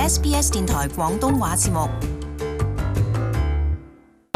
SBS 電台廣東話節目。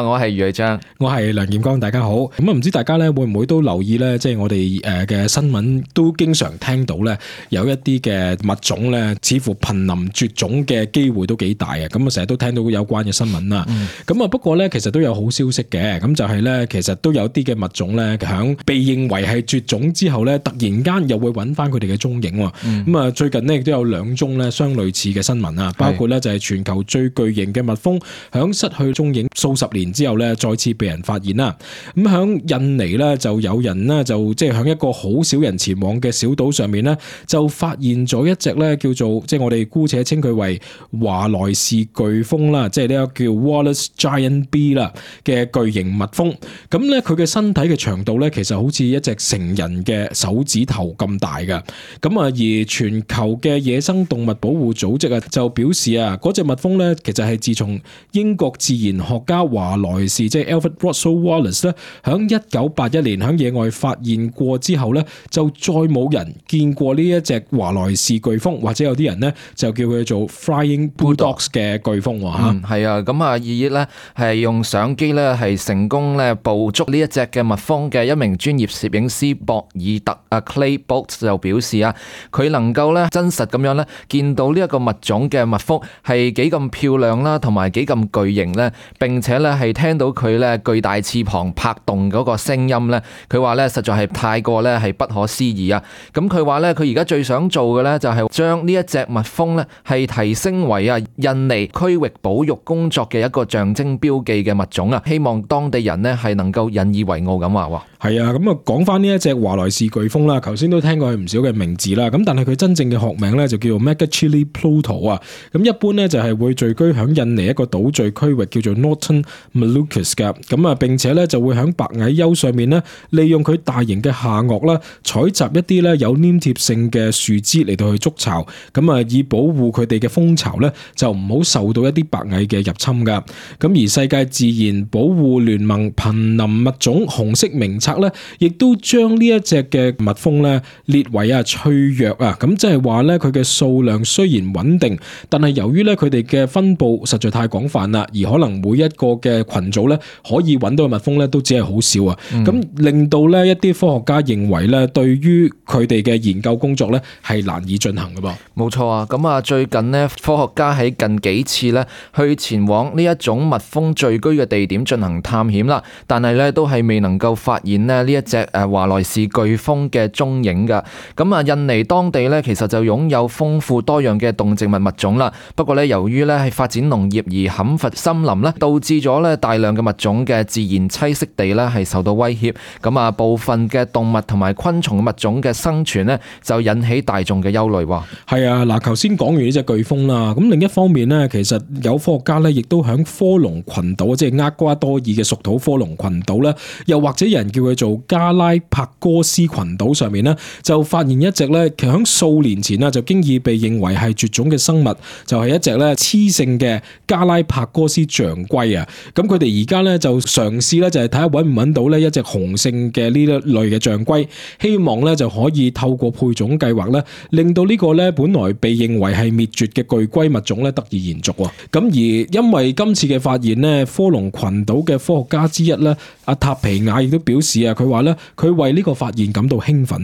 我係余偉章，我係梁劍剛，大家好。咁唔知大家咧會唔會都留意咧？即係我哋嘅新聞都經常聽到咧，有一啲嘅物種咧，似乎瀕臨絕種嘅機會都幾大啊！咁啊，成日都聽到有關嘅新聞啦。咁啊，不過咧，其實都有好消息嘅。咁就係咧，其實都有啲嘅物種咧，響被認為係絕種之後咧，突然間又會揾翻佢哋嘅蹤影。咁啊，最近呢，亦都有2宗咧相類似嘅新聞啊，包括咧就係全球最巨型嘅蜜蜂響失去蹤影數十年之後咧，再次被人發現啦。咁響印尼咧，就有人咧就即係響一個好少人前往嘅小島上面咧，就發現咗一隻咧叫做即係我哋姑且稱佢為華萊士巨蜂啦，即係呢個叫 Wallace Giant Bee 啦嘅巨型蜜蜂。咁咧佢嘅身體嘅長度咧，其實好似一隻成人嘅手指頭咁大嘅。咁啊，而全球嘅野生動物保護組織啊，就表示啊，嗰隻蜜蜂咧，其實係自從英國自然學家華萊士即係 Alfred Russel Wallace 咧，響1981年響野外發現過之後咧，就再冇人見過呢一隻華萊士巨蜂，或者有啲人咧就叫佢做 Flying Bulldogs 嘅巨蜂吓。係啊，咁啊，二月咧係用相機咧係成功咧捕捉呢一隻嘅蜜蜂嘅一名專業攝影師博爾特啊 Clay Bolt 就表示啊，佢能夠咧真實咁樣咧見到呢一個物種嘅蜜蜂係幾咁漂亮啦，同埋幾咁巨型咧，並且咧係聽到佢咧巨大翅膀拍動嗰個聲音咧，佢話咧實在係太過咧係不可思議啊！咁佢話咧佢而家最想做嘅咧就係將呢一隻蜜蜂咧係提升為啊印尼區域保育工作嘅一個象徵標記嘅物種啊，希望當地人咧係能夠引以為傲咁話。係啊，咁啊講翻呢一隻華萊士巨蜂啦，頭先都聽過佢唔少嘅名字啦，咁但係佢真正嘅學名咧就叫做 Megachile Pluto 啊，咁一般咧就係會聚居響印尼一個島嶼區域叫做 Northern Malucas 噶，咁啊並且咧就會響白蟻丘上面咧利用佢大型嘅下顎啦，採集一啲咧有黏貼性嘅樹枝嚟到去築巢，咁啊以保護佢哋嘅蜂巢咧就唔好受到一啲白蟻嘅入侵噶。咁而世界自然保護聯盟瀕臨物種紅色名冊咧，亦都將呢一隻嘅蜜蜂咧列為啊脆弱啊，咁即係話咧佢嘅數量雖然穩定，但係由於咧佢哋嘅分布實在太廣泛啦，而可能每一個嘅群組咧可以揾到嘅蜜蜂咧都只係好少啊，咁令到咧一啲科學家認為咧對於佢哋嘅研究工作咧係難以進行㗎噃。冇錯啊，咁啊最近呢，科學家喺近幾次咧去前往呢一種蜜蜂聚居嘅地點進行探險啦，但係咧都係未能夠發現咧呢一隻華萊士巨蜂嘅蹤影㗎。咁啊印尼當地咧其實就擁有豐富多樣嘅動植物物種啦，不過咧由於咧係發展農業而砍伐森林咧，導致咗咧大量嘅物種嘅自然棲息地咧係受到威脅，咁啊部分嘅動物同埋昆蟲物種嘅生存咧就引起大眾嘅憂慮喎。係啊，嗱頭先講完呢隻巨蜂啦，咁另一方面咧，其實有科學家咧亦都響科隆群島，即係厄瓜多爾嘅屬土科隆群島咧，又或者有人叫佢做加拉帕哥斯群島上面咧，就發現一隻咧響數年前啊就經已被認為係絕種嘅生物，就係一隻咧雌性嘅加拉帕哥斯象龜啊。咁佢哋而家咧就嘗試咧就係睇下搵唔搵到咧一隻雄性嘅呢一類嘅象龜，希望咧就可以透過配種計劃咧，令到呢個咧本來被認為係滅絕嘅巨龜物種咧得以延續。咁而因為今次嘅發現咧，科隆群島嘅科學家之一咧阿塔皮亞亦都表示啊，佢話咧佢為呢個發現感到興奮。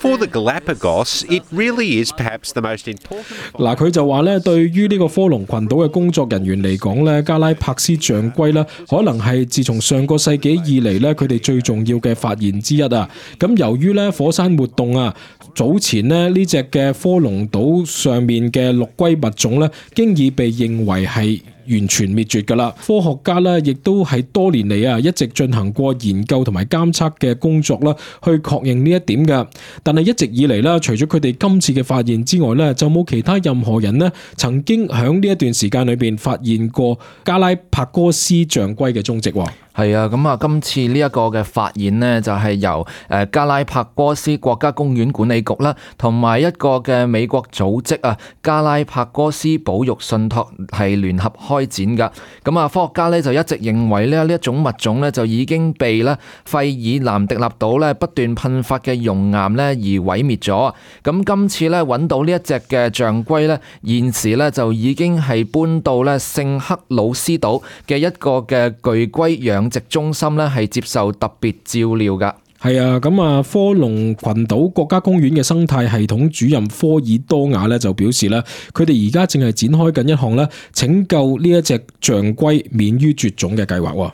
For the Galapagos, it really is perhaps the most important. 嗱，佢就話咧，對於呢個科隆群島嘅工作人員嚟講咧，加拉帕斯象龜咧，可能係自從上個世紀以嚟咧，佢哋最重要嘅發現之一啊。咁由於咧火山活動啊，早前咧呢隻嘅科隆島上面嘅陸龜物種咧，經已被認為係完全滅絕㗎啦。科學家咧亦都係多年嚟啊，一直進行過研究同埋監測嘅工作啦，去確認呢一點㗎。但係一直以嚟啦，除咗佢哋今次嘅發現之外咧，就冇其他任何人咧曾經喺呢一段時間裏邊發現過加拉帕哥斯象龜嘅蹤跡喎。係啊，咁啊，今次呢一個嘅發現呢，就係由加拉帕戈斯國家公園管理局啦，同埋一個嘅美國組織啊，加拉帕戈斯保育信託係聯合開展噶。咁啊，科學家呢就一直認為呢一種物種呢，就已經被呢費爾南迪納島呢不斷噴發嘅熔岩呢而毀滅咗。咁今次呢揾到呢一隻嘅象龜呢，現時呢就已經係搬到呢聖克魯斯島嘅一個嘅巨龜養殖中心呢，係接受特別照料噶。係啊，咁啊，科隆群島國家公園嘅生態系統主任科爾多瓦咧就表示咧，佢哋而家正係展開緊一項咧拯救呢一隻象龜免於絕種嘅計劃。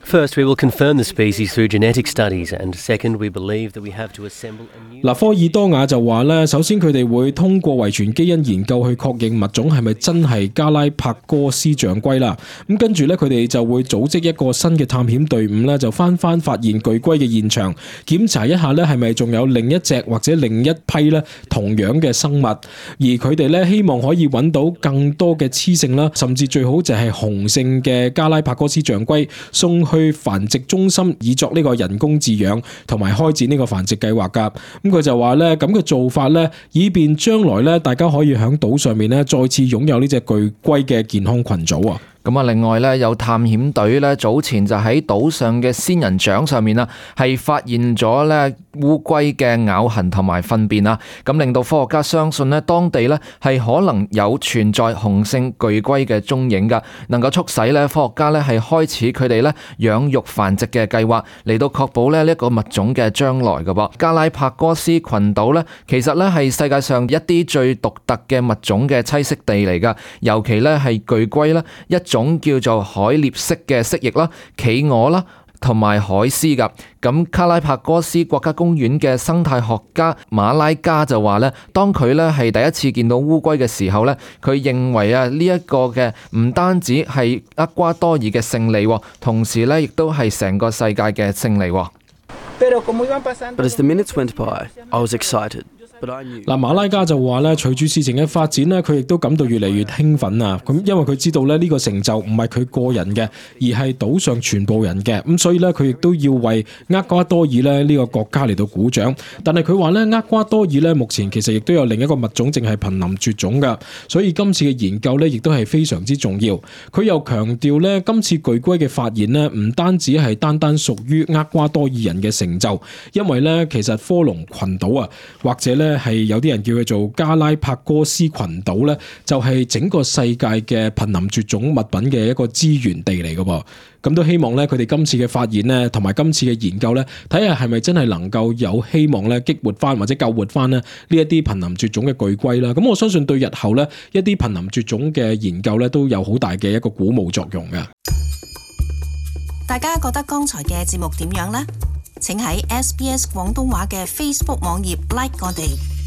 First, we will confirm the species through genetic studies, and second, we believe that we have to assemble a new... 科爾多瓦就話咧，首先佢哋會通過遺傳基因研究去確認物種係咪真係加拉帕戈斯象龜啦。咁跟住咧，佢哋就會組織一個新嘅探險隊伍咧，就翻發現巨龜嘅現場，檢查一下咧係咪仲有另一隻或者另一批咧同樣嘅生物，而佢哋咧希望可以揾到更多嘅雌性啦，甚至最好就係雄性嘅加拉帕戈斯象龜送去繁殖中心以作呢個人工飼養同埋開展呢個繁殖計劃噶。咁佢就話咧，咁嘅做法咧，以便將來咧大家可以喺島上面咧再次擁有呢隻巨龜嘅健康群組啊。咁啊，另外咧有探險隊咧早前就喺島上嘅仙人掌上面啊，係發現咗咧烏龜嘅咬痕同埋糞便啊，咁令到科學家相信咧當地咧係可能有存在雄性巨龜嘅蹤影噶，能夠促使咧科學家咧係開始佢哋咧養育繁殖嘅計劃，嚟到確保咧呢一個物種嘅將來噶噃。加拉帕戈斯群島咧其實咧係世界上一啲最獨特嘅物種嘅棲息地嚟噶，尤其咧係巨龜啦，一種叫做海鬣蜥嘅蜥蜴啦、企鵝啦同埋海獅噶。咁加拉帕戈斯國家公園嘅生態學家馬拉加就話咧，當佢咧係第一次見到烏龜嘅時候咧，佢認為啊呢一個嘅唔單止係厄瓜多爾嘅勝利，同時咧亦都係成個世界嘅勝利。But as the minutes went by, I was excited. 馬拉加就話咧，隨住事情嘅發展咧，佢亦都感到越嚟越興奮啊！咁因為佢知道咧呢個成就唔係佢個人嘅，而係島上全部人嘅。咁所以咧，佢亦都要為厄瓜多爾咧呢個國家嚟到鼓掌。但係佢話咧，厄瓜多爾咧目前其實亦都有另一個物種正係瀕臨絕種噶，所以今次嘅研究咧亦都係非常之重要。佢又強調咧，今次巨龜嘅發現咧唔單止係單屬於厄瓜多爾人嘅成就，因為咧其實科隆群島啊，或者咧係有啲人叫佢做加拉帕戈斯群島咧，就係整個世界嘅瀕臨絕種物品嘅一個資源地嚟噶噃。咁都希望咧佢哋今次嘅發現咧，同埋今次嘅研究咧，睇下係咪真係能夠有希望咧激活翻或者救活翻咧呢一啲瀕臨絕種嘅巨龜啦。咁我相信對日後咧一啲瀕臨絕種嘅研究咧都有好大嘅一個鼓舞作用嘅。大家覺得剛才嘅節目點樣呢？請喺SBS 廣東話嘅 Facebook 網頁 like 我哋。